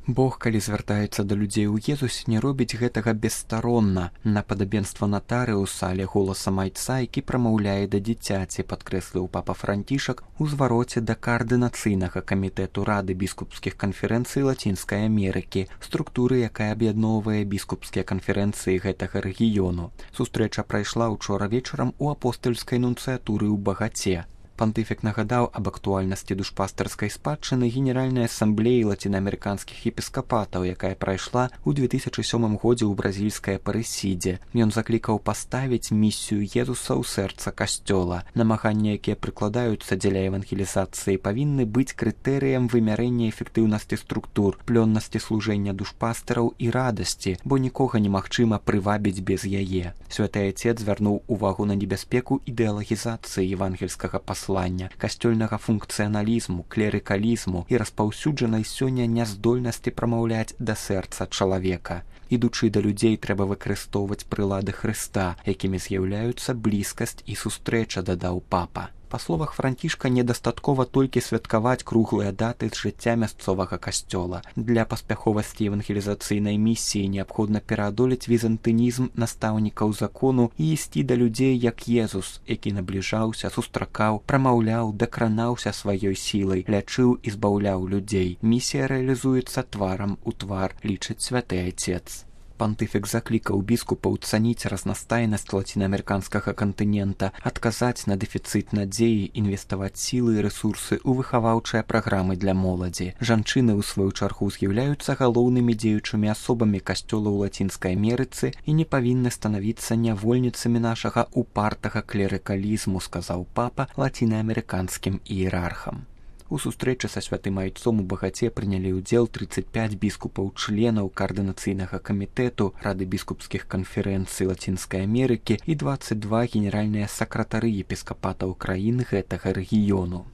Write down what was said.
Бог, калі звяртаецца да людзей у Езусе, не робіць гэтага бесстаронна, на падабенства натарыуса, але голасам айца, які прамаўляе да дзіцяці, падкрэсліў папа Францішак у звароце да каардынацыйнага камітэту Рады біскупскіх канферэнцый Лацінскай Амерыкі, структуры, якая аб'ядноўвае біскупскія канферэнцыі гэтага рэгіёну. Сустрэча прайшла ўчора вечарам у апостальскай нунцыятуры ў Багаце. Пантыфік нагадаў аб актуальнасці душпастарскай спадчыны Генеральнай асамблеі лацінаамерыканскіх епіскапатаў, якая прайшла ў 2007 годзе ў бразільскай Апарэсідзе. Ён заклікаў паставіць місію Езуса ў сэрца касцёла. Намаганні, якія прыкладаюцца дзеля евангелізацыі, павінны быць крытэрыем вымярэння эфектыўнасці структур, плённасці служэння душпастараў і радасці, бо нікога немагчыма прывабіць без яе. Святы Айцец звярнуў увагу на небяспеку ідэалагізацыі евангельскага паслання, касцёльнага функцыяналізму, клерыкалізму і распаўсюджанай сёння няздольнасці прамаўляць да сэрца чалавека. Ідучы да людзей, трэба выкарыстоўваць прылады Хрыста, якімі з'яўляюцца блізкасць і сустрэча, дадаў папа. Па словах Францішка, недастаткова толькі святкаваць круглыя даты з жыцця мясцовага касцёла. Для паспяховасці евангелізацыйнай місіі неабходна пераадолець візантынізм настаўнікаў закону і ісці да людзей як Езус, які набліжаўся, сустракаў, прамаўляў, дакранаўся сваёй сілай, лячыў і збаўляў людзей. Місія рэалізуецца тварам у твар, лічыць святы Айцец. Пантыфік заклікаў біскупаў цаніць разнастайнасць лацінаамерыканскага кантынента, адказаць на дэфіцыт надзеі, інвеставаць сілы і рэсурсы ў выхаваўчыя праграмы для моладзі. Жанчыны, у сваю чаргу, з'яўляюцца галоўнымі дзеючымі асобамі касцёла ў Лацінскай Амерыцы і не павінны станавіцца нявольніцамі нашага упартага клерыкалізму, сказаў папа лацінаамерыканскім іерархам. У сустрэчы са святым Айцом у Багаце прынялі ўдзел 35 біскупаў-членаў каардынацыйнага камітэту Рады біскупскіх канферэнцый Лацінскай Амерыкі і 22 генеральныя сакратары епіскапатаў краін гэтага рэгіёну.